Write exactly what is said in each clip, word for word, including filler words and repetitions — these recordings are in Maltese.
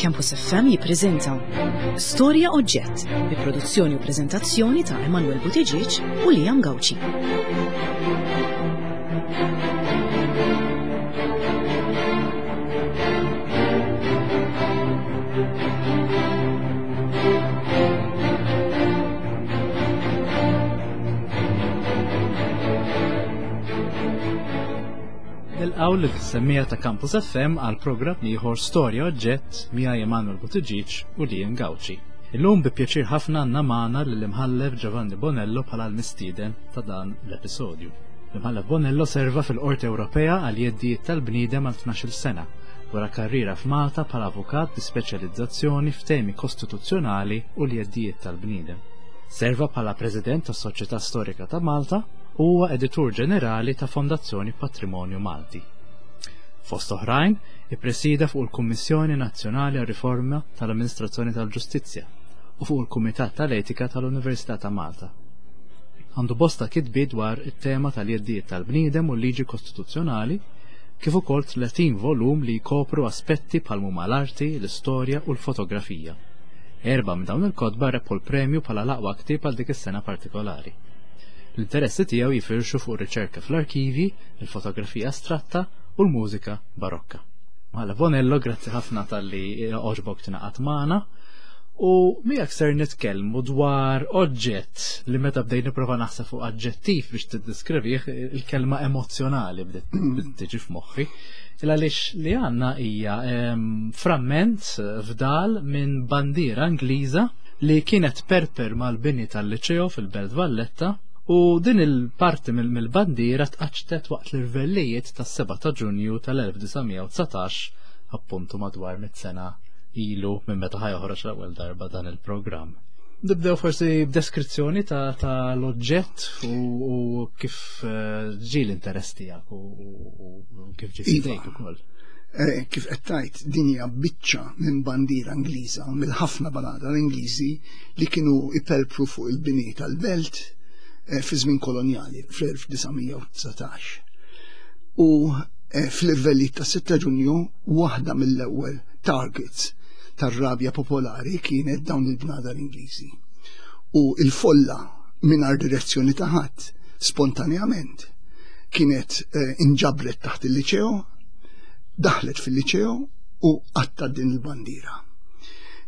Campus F M jippreżenta Storja Oġġett bi produzzjoni u preżentazzjoni ta' Emanuel Buttigieg u Liam Gauci. Nilqgħu lis-semmiegħa ta' Campus F M għal programm ieħor, Storja Oġġett, miegħi Emanuel Buttigieg u Liam Gauci. Illum bi pjaċir ħafna għandna magħna lill-Imħallef Giovanni Bonello bħala l-mistieden ta' dan l-episodju. L-Imħallef Bonello serva fil-Qorti Ewropea għal jeddijiet tal-bniedem għal tnax-il sena, wara karriera f'Malta bħala avukat bi speċjalizzazzjoni f'temi kostituzzjonali u l-jeddijiet tal-bniedem. Serva bħala President tas-Soċjetà Storika ta' Malta u huwa editur ġenerali ta' Fondazzjoni Patrimonju Malti. Fost oħrajn, ippresida fuq il-Kummissjoni Nazzjonali għal Riforma tal-Amministrazzjoni tal-Ġustizzja u fuq il-Kumitat tal-Etika tal-Università ta' Malta. Għandu bosta kitbi dwar it-tema tal-jeddijiet tal-bniedem u l-liġi kostituzzjonali, kif ukoll tletin volum li jkopru aspetti bħal huma l-arti, l-istorja u l-fotografija. Erba' minn dawn il-kotba rebħu l-premju bħala l-aqwa ktieb għal dik is-sena partikolari. L-interessi tiegħu jifirxu fuq riċerka fl-arkivi, il-fotografija astratta u l-mużika barokka. Mela Bonello, grazzi ħafna talli għoġbok tingħaqad magħna. U miegħek ser nitkellmu dwar oġġett li meta bdejt nipprova naħseb fuq aġġettiv biex tiddeskrivih, il-kelma "emozzjonali" bdiet tiġi f'moħħi. Il għaliex li għandna hija framment fdal minn bandiera Ingliża li kienet tperper mal-bini tal-Liċeo fil-Belt Valletta, u din il-parti mill-bandiera tqaċtet waqt l-irvellijiet tas-sebgħa ta' Ġunju tal-elf disa' mija u dsatax, appuntu madwar mit sena ilu minn meta ħa joħroġ l-ewwel darba dan il-programm. Nibdew forsi b'deskrizzjoni ta', ta l-oġġett u, u kif eh, ġie l-interess tiegħek u, u kif ġie Iva. f'idejk ukoll. Eh, kif qed tgħid, din hija biċċa minn bandiera Ingliża, mill-ħafna bnadar Ingliżi li kienu iperpru fuq il-bini tal-belt eh, fi żmien kolonjali fl-elf disa' mija u dsatax. U eh, fl-irvelli ta' sitta Ġunju, waħda mill-ewwel targets tar-rabja popolari kienet dawn il-bnadar Ingliżi. U il-folla, mingħajr direzzjoni ta' ħadd, spontaneament kienet eh, inġabret taħt il-liċeo, daħlet fil-liċeo u qattat din il-bandiera.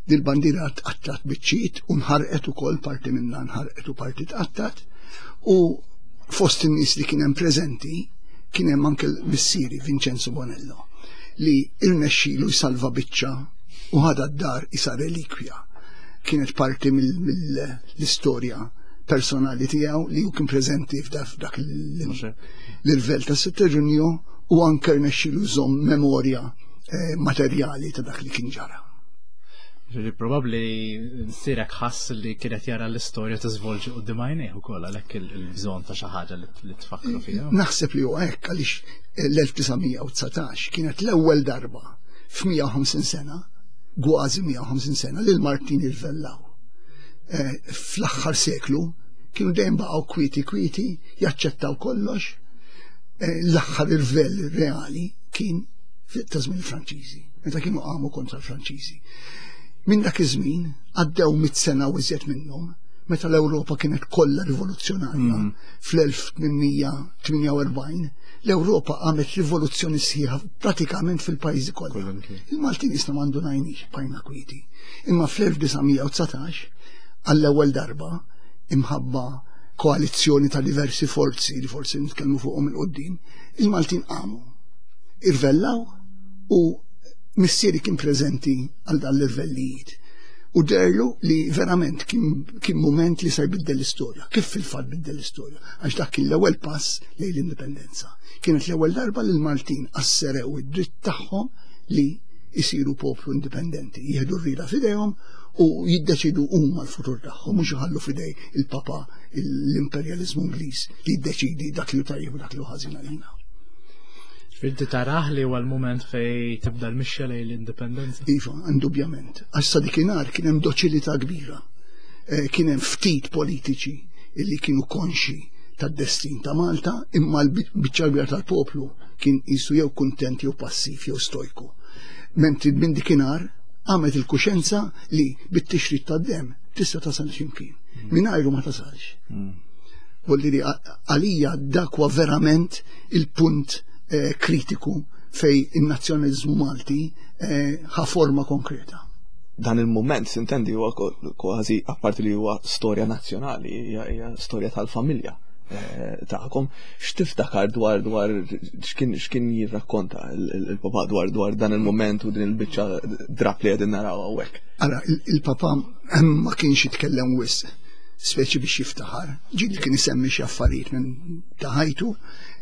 Din il-bandiera tqattat biċċiet u nħarqet ukoll, parti minnha nħarqet u parti tqattat, u fost in-nies li kien hemm preżenti kien hemm anke l-missieri Vincenzo Bonello, li irnexxielu jsalva biċċa u ħadha d-dar isa relikwja. Kienet parti mill-istorja personali tiegħu li hu kien preżenti f'dak l-irvell ta' sitta Ġunju u anke rnexxielu jżomm memorja eh, materjali ta' dak li kien ġara. Ġifieri probabbli missierek ħass li kienet jara l-istorja tiżvolġi quddiem għajnejh ukoll, għalhekk il-bżonn ta' xi ħaġa li tfakru fiha. Naħseb li hu hekk, għaliex l-elf disa' mija u dsatax kienet l-ewwel darba f'mija u ħamsin sena, kważi mija u ħamsin sena, li l-Maltin irvellaw. Eh, fl-aħħar seklu kienu dejjem baqgħu kwieti kwieti, jaċċettaw kollox. Eh, l-aħħar irvell reali kien ta' żmien il-Franċiżi, meta kienu qamu kontra l-Franċiżi. Minn dak iż-żmien għaddew mit sena u iżjed minnhom, meta l-Ewropa kienet kollha rivoluzzjonarja. Mm. Fl-elf tmien mija tmienja u erbgħin l-Ewropa għamet rivoluzzjoni sħiħa pratikament fil-pajjiżi kollha. Il-Maltin isna m'indunajniex, bqajna kwieti. Imma fl-elf disa' mija u dsatax, għall-ewwel darba, imħabba koalizzjoni ta' diversi forzi li forsi nitkellmu fuqhom 'il quddiem, il-Maltin qamu. Irvellaw u missieri kien preżenti għal dan l-irvellijiet. U deherlu li verament kien, kien moment li se jbiddel l-istorja. Kif fil-fatt biddel l-istorja? Għax dak kien l-ewwel pass lejn l-indipendenza. Kienet l-ewwel darba li l-Maltin asserew id-dritt tagħhom li jisiru poplu indipendenti, jieħdu r-rida f'idejhom u jiddeċidu huma l-futur tagħhom, mhux iħallu f'idej il-Papa, l-imperjaliżmu Ingliż, li jiddeċidi dak li tajjeb u dak li ħażin għalina. Inti tarah li huwa l-moment fej tibda l-mixja lejn l-indipendenza? Iva, indubjament. Għax sa dikinhar kien hemm doċilità kbira. Eh, kien hemm ftit politiċi illi kienu konxi tad-destin ta' Malta, imma l-biċċa kbira tal-poplu kien qisu jew kuntent jew passiv jew stojku. Mentri minn dikinhar għamet il-kuxenza li bit-tixrid tad-demm tista' tasal x'imkien. Mm. Mingħajru ma tasalx. Mm. Volli li għalija dak huwa verament il-punt eh, kritiku fej in-nazzjonaliżmu Malti eh, ħa forma konkreta. Dan il-moment, sintendi, huwa kważi apparti li huwa storja nazzjonali, hija storja tal-familja eh, tagħkom. X'tiftakar dwar dwar x'kien x'kien jirrakkonta il-papa dwar dwar dan il-moment u din il-biċċa drap li qegħdin naraw hawnhekk? Ara, il-papa ma kienx jitkellem wisq, speċi biex jiftaħar. Ġieli kien isemmi xi affarijiet minn ta' ħajtu,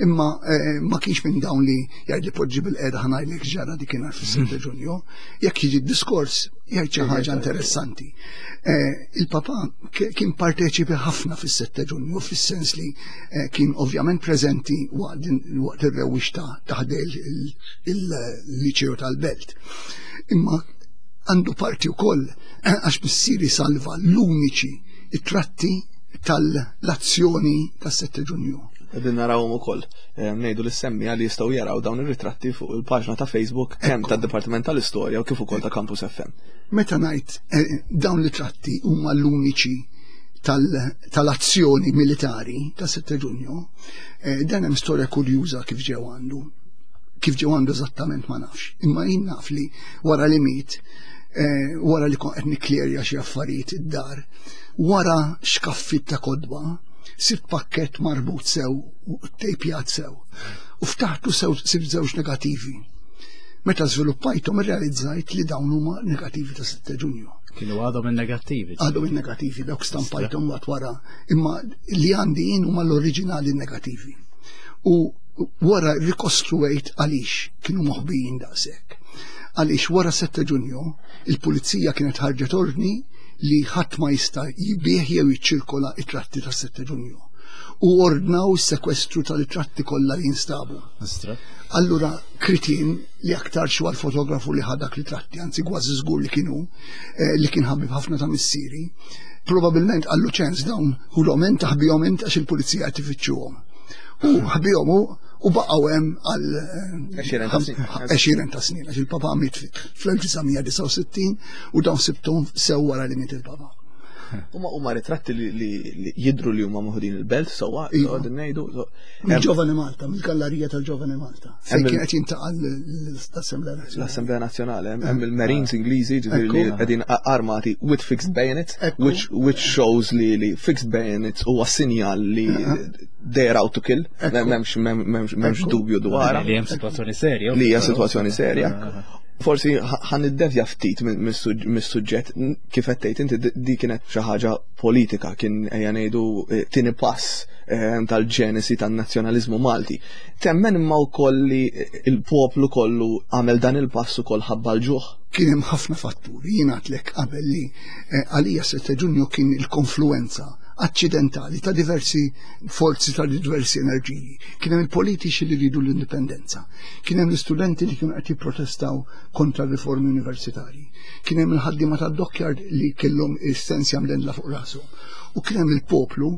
imma eh, ma kienx minn dawn li jgħid li poġġi bil-qiegħda ħa ngħidlek ġara dikinhar fis-sitta Ġunju. Jekk jiġi diskors jgħid xi ħaġa interessanti. Eh, il-papa kien parteċipi ħafna fis-sitta Ġunju, fis-sens li eh, kien ovvjament preżenti waqt ir-rewwixta ta' ħdejn il-liċew tal-Belt. Imma għandu parti wkoll għax missieri salva l-uniċi it-tratti tal-azzjoni tas-sitta Ġunju. Qegħdin narawhom ukoll. Eh, ngħidu lis-semmiegħa li jistgħu jaraw dawn ir-ritratti fuq il-paġna ta' Facebook kemm tad-Dipartiment tal-Istorja u kif ukoll ta' Campus F M. Meta ngħid eh, dawn l-tratti huma l-uniċi tal-azzjoni militari ta' sitta Ġunju, eh, dan hemm storja kurjuża kif ġew għandu. Kif ġew għandu eżattament ma nafx. Imma jien naf li wara li miet, wara li kont qed nikklerja xi affarijiet id-dar, wara xkaffit ta' kodba, sibt pakket marbut sew u tejpjat sew. U ftaħtu sew sibt żewġ negativi. Meta żviluppajthom irrealizzajt li dawn huma negativi ta' sitta Ġunju. Kienu għadhom in-negattivi. Għadhom in-negattivi, dawk stampajthom waqt wara. Imma li għandi jien huma l-oriġinali negativi. U wara rikostruejt għaliex kienu moħbijin daqshekk. Għaliex wara sitta Ġunju il-pulizija kienet ħarġet ordni li ħadd ma jista' jbigħ jew jiċċirkola it-tratti tas sitta Ġunju. U ordnaw is-sekwestru tal-tratti kollha li jinstabu. Allura kritin li aktar xi fotografu li ħadak li tratti, anzi kważi żgur li kienu, eh, li kien ħabib ħafna ta' missieri, probabilment għallu ċens dawn ħulhom int taħbihom int għax il-pulizija qed ifittxuhom. U ħbihom u baqgħu hemm għal għexieren ta' snin, għax il-papa miet fl-elf disa' mija disgħa u sittin u dawn sibthom sew wara li miet il-papa. Huma huma ritratti li, li, li jidru li huma moħdin il-belt sewwa, Iva. qegħdin ngħidu. Mill-Ġovani Malta, mill-gallerija tal-Ġovani Malta. Fejn Hemm il- kien qed jintaqa' l-Assemblea Nazzjonali. L-Assemblea Nazzjonali, hemm hemm il-Marines Ingliżi, ġifieri li Ekku. qegħdin a-, armati with fixed bayonets, Ekku. which, which shows li, li fixed bayonets huwa sinjal li they are out to kill. Ekku. M'hemmx, m'hemmx, m'hemmx Ekku. dubju dwarha. Li hemm sitwazzjoni serja. Li hija sitwazzjoni serja. Forsi ħa-, ħan niddevja ftit minn-, mis-suġ-, mis-suġġett, n-, kif qed tgħid inti di-, di kienet xi ħaġa politika, kien ejja ngħidu, eh, tieni pass, eh, tal-ġenesi tan-nazzjonaliżmu Malti. Temmen imma wkoll li il-poplu kollu għamel dan il-pass ukoll ħabba l-ġuħ? Kien hemm ħafna fatturi. Jien għedtlek qabel li, eh, għalija sitta Ġunju kien il-konfluenza accidentali ta' diversi forzi, ta' diversi enerġiji. Kien hemm il-politiċi li ridu l-indipendenza, kien hemm l-istudenti li kienu qed jipprotestaw kontra r-riformi universitarji, kien hemm il-ħaddiema tad-dockyard li kellhom is-sens jagħmlilha fuq rashom, u kien hemm il-poplu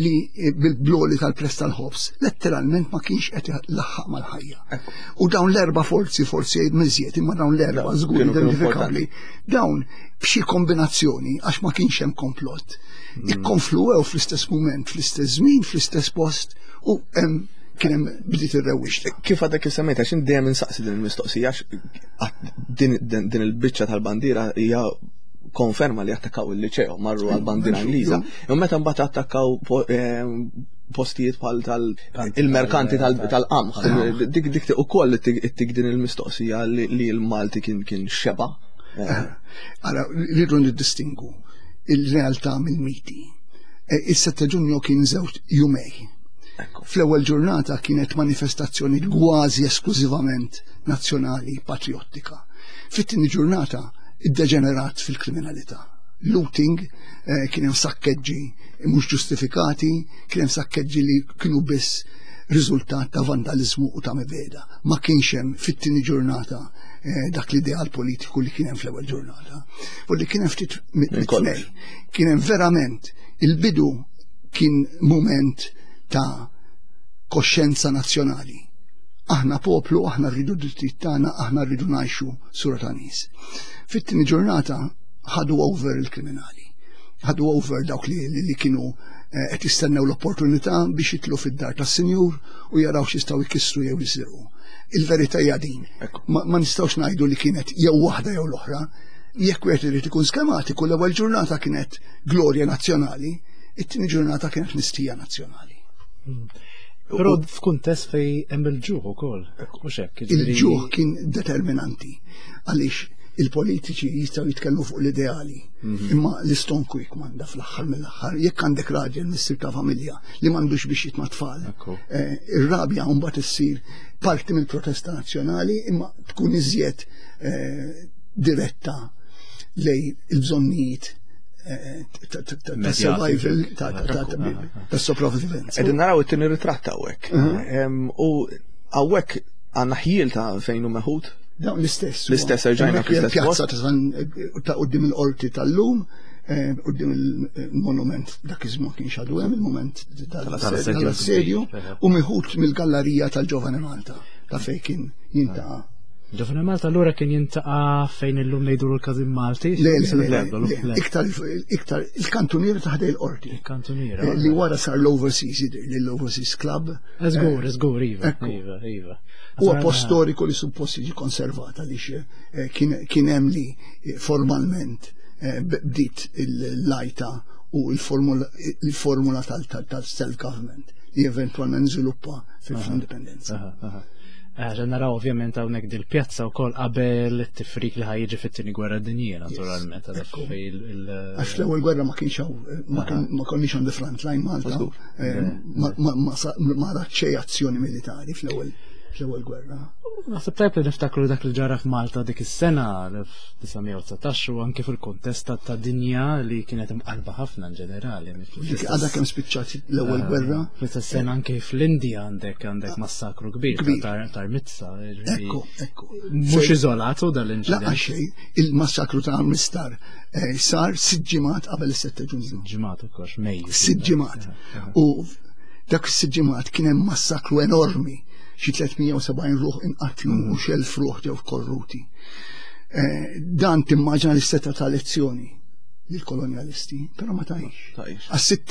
li bil-bloli tal-press tal-ħobż letteralment ma kienx qed laħħaq mal-ħajja. Ekku. U dawn l-erba' forzi, forzi jgħid miżjed, imma dawn l-erba' Dawn żgur kienu kienu identifikabbli, importanti. dawn b'xi kombinazzjoni, għax ma kienx hemm komplott, Mm. ikkonfluwew fl-istess mument, fl-istess żmien, fl-istess post, u hemm kien hemm bdiet ir-rewwixta. Kif għadek kif semmejt, għax dejjem insaqsi din il-mistoqsija, għax din, din, din il-biċċa tal-bandiera hija konferma li attakkaw il-liċeo, marru għal-bandiera Mhux Ingliża. dubju. Imma meta mbagħad attakkaw po-, eh, postijiet bħal tal- Kanti il-merkanti tal- tal-, tal-qamħ. Tal-qamħ. Dik, dik ukoll ittik, ittik din il-mistoqsija li, li l-Malti kien, kien xeba. Eh. Ara, rridu niddistingu il-realtà mill-miti. Eh, Is-sette Ġunju kien żewġ jumej. Ekku. Fl-ewwel ġurnata kienet manifestazzjoni kważi esklużivament nazzjonali patriottika. Fit-tieni ġurnata iddeġenerat fil-kriminalità. Looting, eh, kien hemm sakkeġġi mhux ġustifikati, kien hemm sakkeġġi li kienu biss riżultat ta' vandalizmu u ta' mibeda. Ma kienx hemm fit-tieni ġurnata, eh, dak l-ideal politiku li kien hemm fl-ewwel ġurnata. U li kien hemm ftit mit- Minn kollox. mit-tnejn. Kien hemm verament il-bidu kien moment ta' koxjenza nazzjonali. Aħna poplu, aħna rridu drittijiet tagħna, aħna rridu ngħixu sura ta' nies. Fit-tieni ġurnata ħadu over il-kriminali. Ħadu over dawk li, li, li kienu qed jistennew l-opportunità biex jitlu fid-dar tas-sinjur u jaraw x'jistgħu jkissru jew jisirqu. Il-verità hija din. Ma, ma nistgħux ngħidu li kienet jew waħda jew l-oħra. Jekk wieħed irid ikun skematiku, l-ewwel ġurnata kienet glorja nazzjonali, it-tieni ġurnata kienet mistija nazzjonali. Però f'kuntest fej hemm il-ġuħ ukoll, mhux hekk. Il-ġuħ kien determinanti għaliex il-politiċi jistgħu jitkellmu fuq l-ideali, imma l-istonku jikmanda fl-aħħar mill-aħħar. Jekk għandek raġel missir ta' familja li m'għandux biex jitma' tfal, ir-rabja mbagħad issir parti mill-protesta nazzjonali, imma tkun iżjed diretta lej il-bżonnijiet ta' survival, ta' sopravvivenza. Qegħdin naraw it-tieni ritratt hawnhekk. U hawnhekk għandna ħjiel ta' fejn hu meħud. Dawn l-istess. L-istess erġajna fl-istess pjazza ta' quddiem il-qorti tal-lum, quddiem il-monument dak iż-żmien kien xadu hemm il-monument tal-assedju, u meħud mill-gallerija tal-Ġovane Malta ta' fejn kien jintaqa'. Ġovane Malta allura kien jintaqa' fejn illum ngħidu l-Każin Malti? Le, le, iktar iktar il-kantuniera ta' ħdej il-qorti. Il-kantuniera. Li wara sar l-Overseas, l-Overseas Club. Żgur, żgur, iva, iva, iva. Huwa post storiku li suppost jiġi konservat għaliex kien hemm li formalment bdiet il-lajta u l-formula tal-self-government li eventwalment żviluppa fil-indipendenza. Għaxa naraw ovvjament hawnhekk dil-pjazza wkoll qabel it-tifrik li ħajjiġi fit-tieni gwerra dinjija naturalment. Għax l-ewwel gwerra ma kienx hawn, ma konniex on the front line Malta, ma rat xejn azzjoni militari fl-ewwel fl-ewwel gwerra. Naħseb tajb li niftakru dak li ġara f'Malta dik is-sena elf disa' mija u dsatax u anke fil-kuntest ta' dinja li kienet imqalba ħafna in ġenerali. Għadha kemm spiċċat l-ewwel gwerra. Fl-istess sena anke fl-Indja għandek għandek massakru kbir ta' Armizza. Ekku, ekku. Mhux iżolatu dal-inċident. Laqgħa xejn, il-massakru ta' Armistar sar sitt ġimgħat qabel is-sette Ġunju. Ġimgħat ukoll, Mejju. Sitt ġimgħat. U dak is-sitt ġimgħat kien hemm massakru enormi, xi tliet mija u sebgħin ruħ inqatlu u xi elf ruħ ġew korruti. Dan timmaġina li seta ta' lezzjoni lill-kolonjalisti, però ma tajx. Għas sitt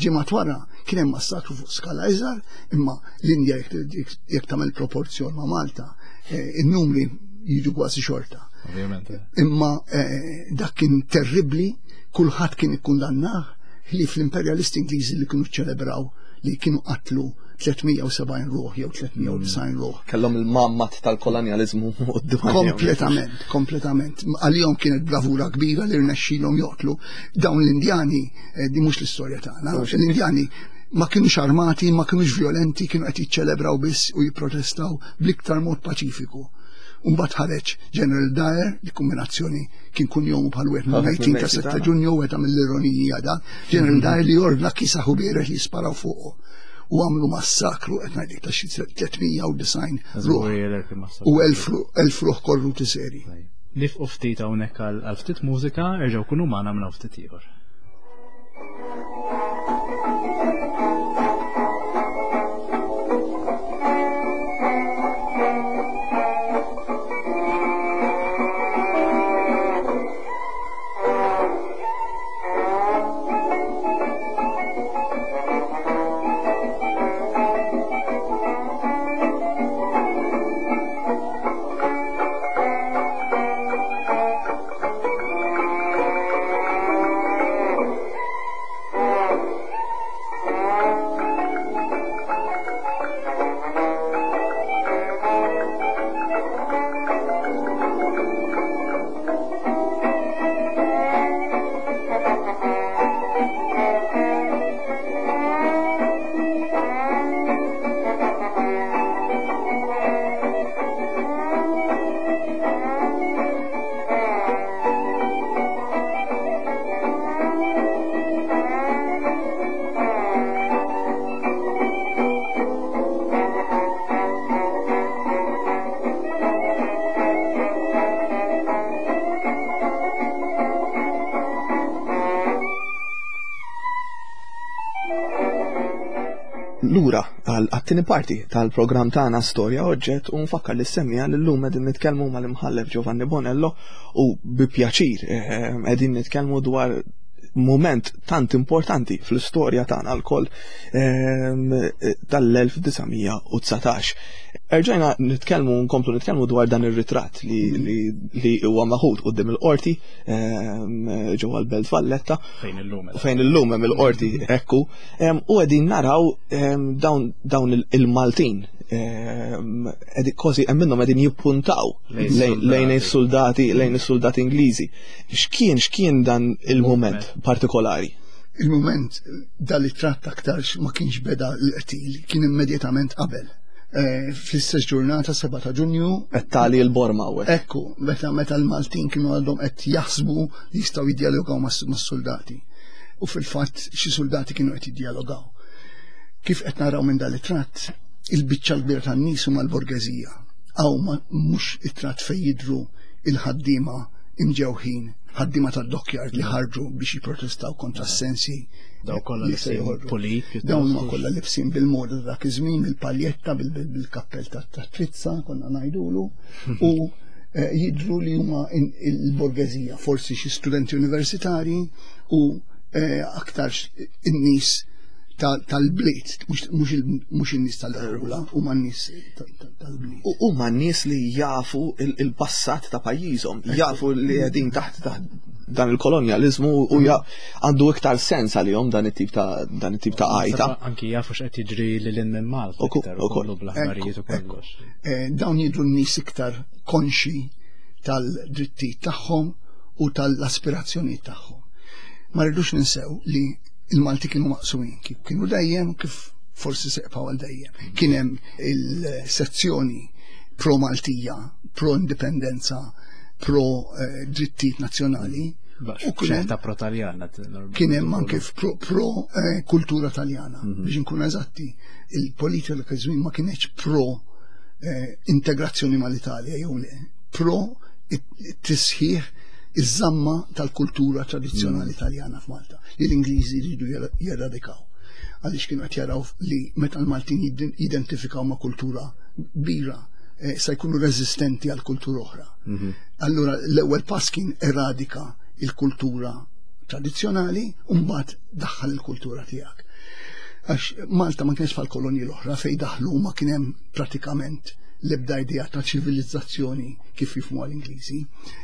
ġimgħat wara kien hemm massakru fuq skala iżgħar, imma l-Indja jekk tagħmel proporzjon ma' Malta, in-numri jiġu kważi xorta. Ovvjament. Imma dak kien terribbli, kulħadd kien ikkundannah, ħlief l-imperjalisti Ingliżi li kienu ċċelebraw li kienu qatlu tliet mija u sebgħin ruħ jew tliet mija u disgħin ruħ. Kellhom il-mammat tal-kolonjaliżmu quddiem. Kompletament, kompletament. Għalihom kienet bravura kbira li rnexxielhom joqtlu dawn l-Indjani, di mhux l-istorja tagħna. L-Indjani ma kienux armati, ma kienux violenti, kienu qed jiċċelebraw biss u jipprotestaw bl-iktar mod paċifiku. Mbagħad ħareġ General Dyer, li kombinazzjoni kien kunjomu bħal wieħed mill-mejtin ta' sette Ġunju, wieħed mill-ironija da. General Dyer li ordna kisaħu biereħ li jisparaw fuqu. U għamlu massakru qed ngħidlek ta' xi tliet mija u disgħin ruħ u elf ruħ korruti seri. Nifqu ftit hawnhekk għal ftit mużika, erġgħu kunu magħna minn ftit ieħor. Thank you. għat-tieni parti tal-programm tagħna Storja Oġġett u nfakkar lis-semmiegħa li llum qegħdin nitkellmu mal-imħallef Giovanni Bonello u bi pjaċir eh, qegħdin nitkellmu dwar moment tant importanti fl-istorja tagħna lkoll ehm, tal-elf disa' mija u dsatax. Erġajna nitkellmu, nkomplu nitkellmu dwar dan ir-ritratt li, li, li huwa maħud quddiem il-qorti, ehm, ġewwa l-Belt Valletta. Fejn illum hemm. Fejn illum hemm il-qorti, ekku. Ehm, u qegħdin naraw, ehm, dawn, dawn il-, il-Maltin, ehm, qegħdin kważi hemm minnhom qegħdin jippuntaw Lejn lejn, lejn is-soldati, lejn is-soldati Ingliżi. X'kien, x'kien dan il-moment partikolari? Il-moment dal-ritratt aktarx ma kienx beda l-qtil, kien immedjatament qabel. Eh, fl-istess ġurnata, seba' ta' Ġunju. Qed tali l-Borma hawnhekk. Ekku, meta, meta l-Maltin kienu għadhom qed jaħsbu li jistgħu jiddialogaw mas-, mas-soldati. U fil-fatt xi soldati kienu qed jiddialogaw. Kif qed naraw minn dal-ritratt, il-biċċa l-kbira tan-nies huma l-borgeżija. Hawn ma-, mhux it-tratt fejn jidhru il-ħaddiema imġewħin, ħaddiema tad-dockyard li ħarġu biex jipprotestaw kontra s-sensi. Daw kollha li se libsin joħorġu. pulit, pjuttost. Dawn huma kollha libsin bil-moda ta' dak iż-żmien, bil-paljetta, bil-, bil-, bil-kappell ta', ta' trizza, konna ngħidulu, u, eh, jidhru li huma in-, il-borgeżija, forsi xi studenti universitari u, eh, aktar in-nies ta-, tal-bliet, mhux, mhux il-, mhux in-nies tal-rula, huma n-nies ta-, ta-, tal-bliet. U huma n-nies li jafu il-, il-passat ta' pajjiżhom, jafu li qegħdin taħt, taħt dan il-kolonjaliżmu u ja-, għandu iktar sens għalihom dan it-tip ta', dan it-tip ta' għajta. Saba anki jafu x'qed jiġri lil hinn minn Malta Ukoll, iktar, u ukoll. kollu bl-aħbarijiet u Ekku, ekku. kollox. Eh, dawn jidhru n-nies iktar konxi tal-drittijiet tagħhom u tal-aspirazzjonijiet tagħhom. Ma rridux ninsew li il-Malti kienu maqsumin, kif kienu dejjem, kif forsi seqpaw għal dejjem. Kien hemm il-sezzjoni pro-Maltija, pro-indipendenza, pro, eh, drittijiet nazzjonali. Bax, U kien hemm ċerta pro-Taljana, t-, norm- kien hemm anke pro, pro, eh, kultura Taljana. Mhm. Biex inkunu eżatti, il-politika dak iż-żmien ma kienx pro, eh, integrazzjoni mal-Italja jew le, pro it-tisħiħ iż-żamma tal-kultura tradizzjonali Mm. Taljana f'Malta, li l-Ingliżi jridu jera-, jeradikaw. Għaliex kienu qed jaraw li meta l-Maltin jidin-, jidentifikaw ma' kultura kbira, eh, se jkunu reżistenti għal kultura oħra. Mhm. Allura l-ewwel pass kien eradika il-kultura tradizzjonali u mbagħad daħħal il-kultura tiegħek. Għax Malta ma kienx bħal kolonji l-oħra fejn daħlu ma kien hemm pratikament l-ebda idea ta' ċivilizzazzjoni kif jifhmu l-Ingliżi.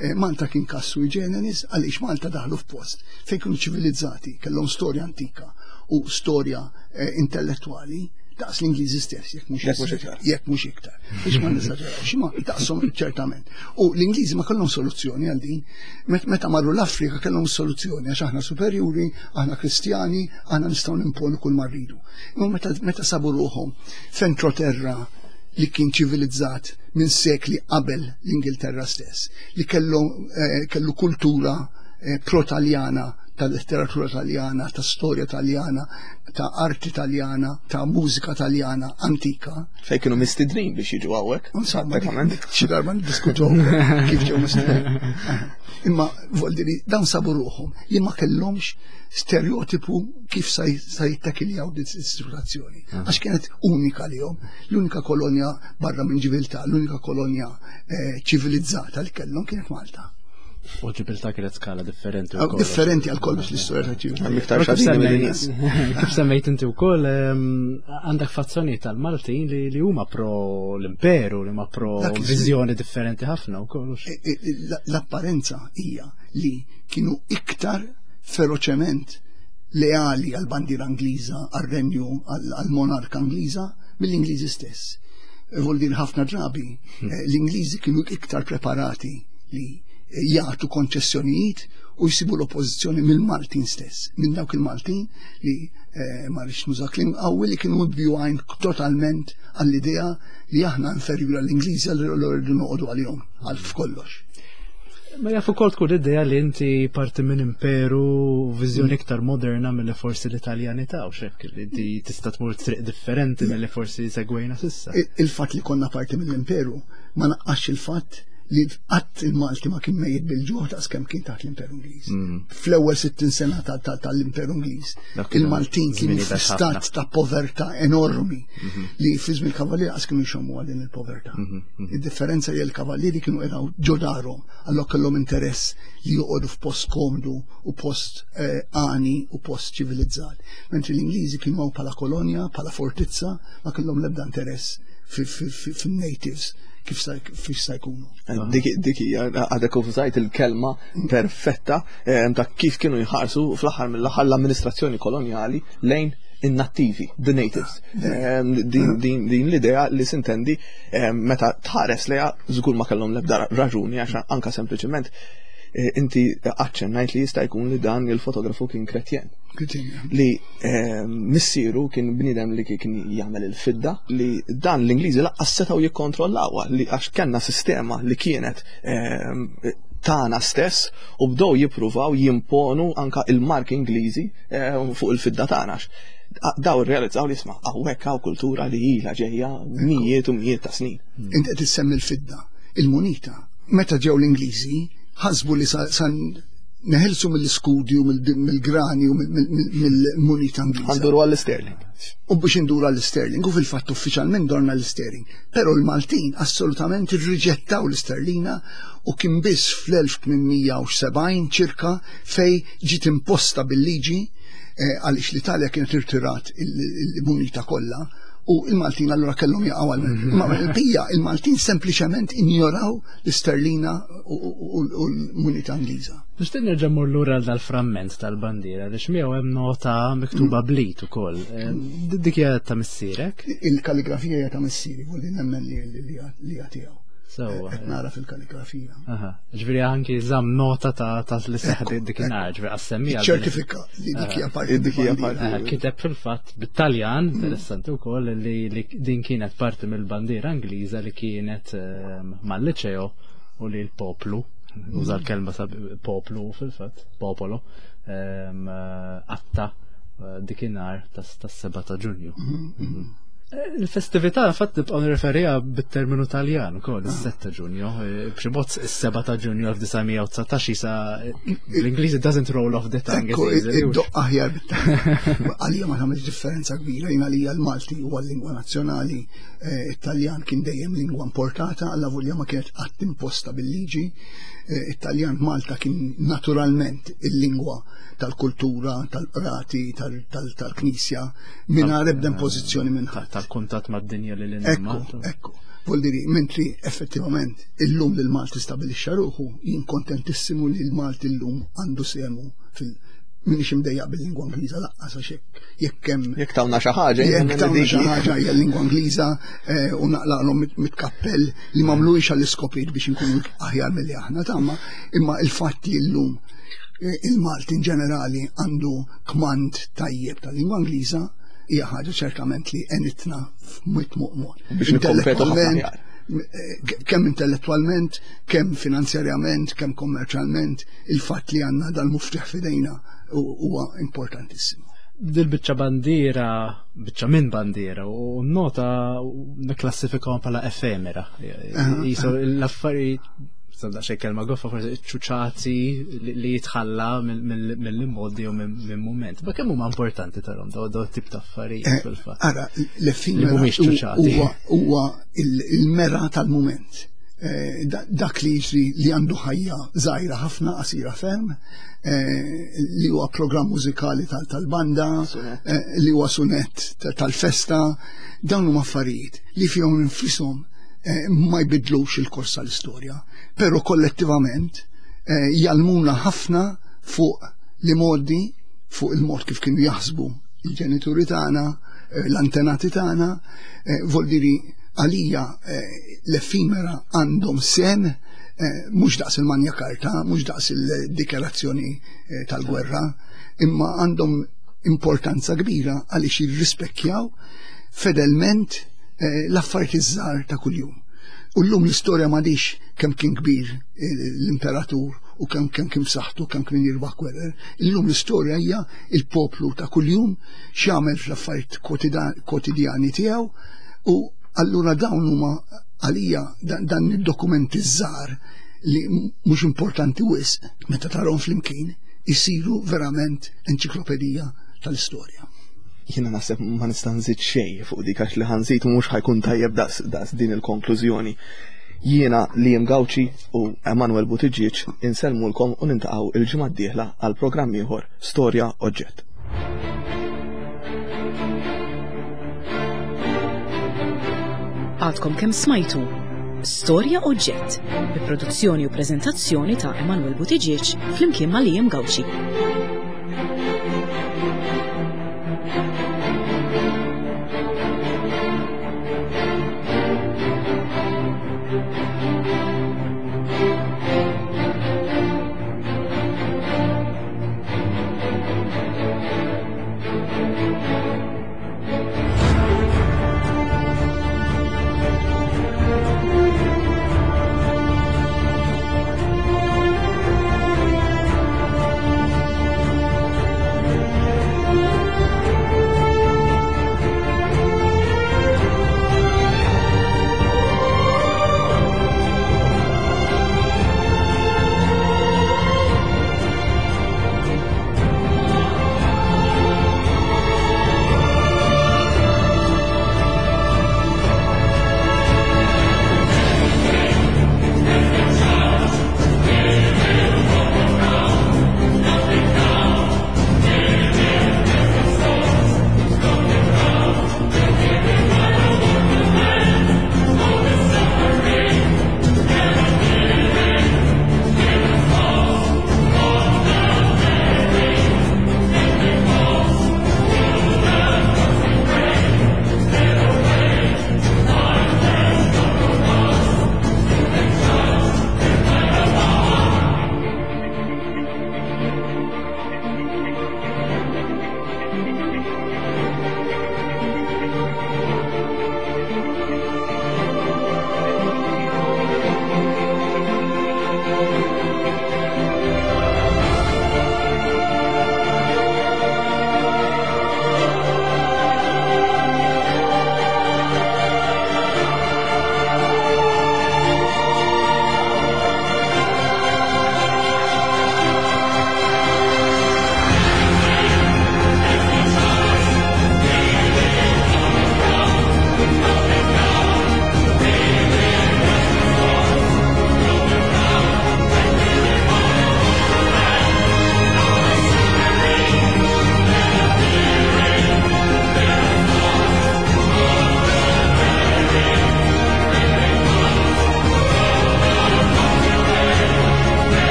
Eh, Malta kien każ sui generis għaliex Malta daħlu f'post fejn kienu ċivilizzati, kellhom storja antika u storja, eh, intellettwali daqs l-Ingliżi stess, jekk mhux Jekk mhux iktar. Jekk mhux iktar. Biex ma nesaġerawx, imma daqshom ċertament. U l-Ingliżi ma kellhom soluzzjoni għal din. Met-, meta marru l-Afrika kellhom soluzzjoni għax aħna superjuri, aħna Kristjani, aħna nistgħu nimponu kull ma rridu. Imma meta, meta sabu ruħhom f'entroterra li kien ċivilizzat minn sekli qabel l-Ingilterra stess, li kellu, eh, kellu kultura, eh, pro-Taljana, ta' letteratura taljana, ta' storja taljana, ta' arti taljana, ta' mużika taljana antika. Fej kienu mistednin biex jiġu hawnhekk, Insomma, pratikament. xi darba niddiskutu kif ġew mistednin. Imma vuol dire dawn sabu ruħhom li ma kellhomx stereotipu kif sa j-, sa jittakiljaw din is-situazzjoni. Aha. Għax kienet unika lihom, l-unika kolonja barra minn ġibiltà, l-unika kolonja, eh, ċivilizzata li kellhom kienet Malta. U ġibiltà kienet skala differenti Aw, wkoll. Differenti għal kollox l-istorja ta' ġibiltà. Hemm iktar Kif xadini semmejt- mill-nies. Kif semmejt inti wkoll, ehm, għandek fazzjoni tal-Maltin li, li huma pro l-imperu, li huma pro Dak iż-żmien. viżjoni differenti ħafna wkoll, hux? E, e, e, la-, l-apparenza hija li kienu iktar feroċement leali għal-bandiera Ingliża, għal-renju, għal-, għal-monarka Ingliża mill-Ingliżi stess. Vuol dire ħafna drabi, Hmm. eh, l-Ingliżi kienu iktar preparati li jagħtu konċessjonijiet u jsibu l-oppożizzjoni mill-Maltin stess, minn dawk il-Maltin li, eh, ma rridx nuża kliem qawwi li kienu mibjugħin totalment għall-idea li aħna inferjuri għall-Ingliżi għall rridu noqogħdu għalihom għal f'kollox. Ma jaf ukoll tkun l-idea li inti parti minn imperu viżjoni iktar moderna milli forsi l-Italjani ta' u xek, li inti tista' tmur triq differenti milli forsi segwejna s'issa. Il-, il-fatt li konna parti mill-imperu ma naqqax il-fatt li qatt il-Malti ma kien mejjet bil-ġuħ daqs kemm kien taħt l-Imperu Ingliż. Fl-ewwel sittin sena tal-Imperu Ingliż, il-Maltin kienu f'stat ta' povertà enormi li fi żmien il-Kavallieri qas kienu jxommu din il-povertà. Id-differenza hija l-Kavallieri kienu qegħdu ġo darhom, allura kellhom interess li joqogħdu f'post komdu u post għani u post ċivilizzat. Mentri l-Ingliżi kienu hawn bħala kolonja, bħala fortizza, ma kellhom l-ebda interess fin-natives kif sa jkunu. Dik hija għadek użajt il-kelma perfetta ta' kif kienu jħarsu fl-aħħar mill-aħħar l-amministrazzjoni kolonjali lejn in-nattivi, the natives. Din l-idea li sintendi meta tħares lejha żgur ma kellhom l-ebda raġuni għax anka sempliċement inti aċċennajt li jista' jkun li dan il-fotografu kien kretjen. Li missieru kien bniedem li kien jagħmel il-fidda, li dan l-Ingliżi laqqas setgħu jikkontrollawha li għax kellna sistema li kienet tagħna stess u bdew jippruvaw jimponu anka il-marki Ingliżi fuq il-fidda tagħna. Daw irrealizzaw li isma' hawnhekk hawn kultura li ilha ġejja mijiet u mijiet ta' snin. Inti qed issemmi l-fidda, il-munita. Meta ġew l-Ingliżi ħasbu li san neħelsu mill-iskudi u mill-grani u mill-munita Ingliża. Għanduru għall-sterling. U biex induru għall-sterling, u fil-fatt uffiċjalment dorna l-sterling. Però l-Maltin assolutament irriġettaw l-isterlina u kien biss fl-elf tmien mija u sebgħin ċirka fej ġiet imposta bil-liġi, għaliex l-Italja kienet irtirat il-munita kollha u il-Maltin allura kellhom jaqgħu għal. Ma bija il-Maltin sempliċement injoraw l-isterlina u l-munita Ingliża. Nixtieq nerġa' mmur lura għal dal-framment tal-bandiera għaliex miegħu hemm nota miktuba bl-id ukoll. Dik hija ta' missierek? Il-kalligrafija hija ta' missieri, volli nemmen li hija tiegħu. Sewwa. Qed nara fil-kalligrafija. Aha, ġifieri anki żamm nota ta' ta' li seħħ dikinhar, ġifieri għas-semmija. Ċertifika li dik hija parti. Dik hija parti. Kiteb fil-fatt bit-Taljan, interessanti wkoll, li din kienet parti mill-bandiera Ingliża li kienet mal-liċeo u li l-poplu, uża l-kelma ta' poplu fil-fatt, popolo, għatta dikinhar tas-seba ta' Ġunju. Il-festività fatt nibqgħu nirreferiha bit-terminu Taljan ukoll, is-sette Ġunju, b'xi mod is-seba ta' Ġunju elf disa' mija u dsatax isa l-Ingliż doesn't roll off the tongue. Ekku, id-doqq aħjar bit-Taljan. Għalija ma tagħmilx differenza kbira, jien għalija l-Malti huwa l-lingwa nazzjonali, it-Taljan kien dejjem lingwa importata, alla volja ma kienet qatt imposta bil-liġi. It-Taljan Malta kien naturalment il-lingwa tal-kultura, tal-qrati, tal-knisja, mingħajr ebda impożizzjoni minn ħadd. Tal-kuntatt mad-dinja li l Ekku, ekku. Vuol dire, mentri effettivament illum li l-Malti stabilixxa ruħu, jien kontentissimu li l-Malti llum għandu semu fil- minix imdejjaq bil-lingwa Ingliża laqqas, għax jekk hemm Jekk tawna xi ħaġa, jekk tawna xi ħaġa hija l-lingwa Ingliża, u naqlaqlhom mit-kappell li m'għamluhiex għall-iskopijiet biex inkunu aħjar milli aħna tagħma, imma il-fatt li llum il-Malti in ġenerali għandu kmand tajjeb tal-lingwa Ingliża hija ħaġa ċertament li għenitna f'mit muqmod. Biex nikkompetu ħafna aħjar. Kemm intellettualment, kemm finanzjarjament, kemm kommerċjalment, il-fatt li għandna dal-muftiħ f'idejna huwa importantissimu. Dil-biċċa bandiera, biċċa minn bandiera, u nota nikklassifikawhom bħala efemera. Jisu l-affarijiet, sabda xej kelma goffa, forsi ċuċati li jitħalla mill-immodi u minn moment. Ma kemm huma importanti tarhom daw daw tip ta' affarijiet fil-fatt? Ara, l-effimera huwa il-mera tal-moment. Dak li jiġri li għandu ħajja żgħira ħafna, qasira ferm, li huwa programm mużikali tal-banda, li huwa sunet tal-festa, dawn huma affarijiet li fihom infushom ma jbidlux il-kors tal-istorja, però kollettivament jgħallmuna ħafna fuq li modi, fuq il-mod kif kienu jaħsbu il-ġenituri tagħna, l-antenati tagħna, vuol dire għalija l-effimera għandhom sem, mhux daqs il-Magna Carta, mhux daqs il-dikjarazzjoni tal-gwerra, imma għandhom importanza kbira għaliex jirrispekkjaw fedelment l-affarijiet iż-żgħar ta' kuljum. U llum l-istorja m'għadix kemm kien kbir l-imperatur u kemm kemm kien b'saħħtu, kemm kien jirbaħ gwerer. Illum l-istorja hija il-poplu ta' kuljum x'jagħmel fl-affarijiet kwotidjani tiegħu, u allura dawn huma Għalija dan id-dokumenti żgħar li mhux importanti wisq meta tarahom flimkien isiru verament enċiklopedija tal-istorja. Jiena naħseb ma nista' nżid xejn fuq dik għax li ħa nżid mhux ħa jkun tajjeb daqs daqs din il-konklużjoni. Jiena Liam Gauci u Emanuel Buttigieg insellmulkom u niltaqgħu il-ġimgħa d-dieħla għal programm ieħor Storja Oġġett. Għadkom kemm smajtu Storja Oġġett bi produzzjoni u preżentazzjoni ta' Emanuel Buttigieg flimkien ma' Liam Gauci.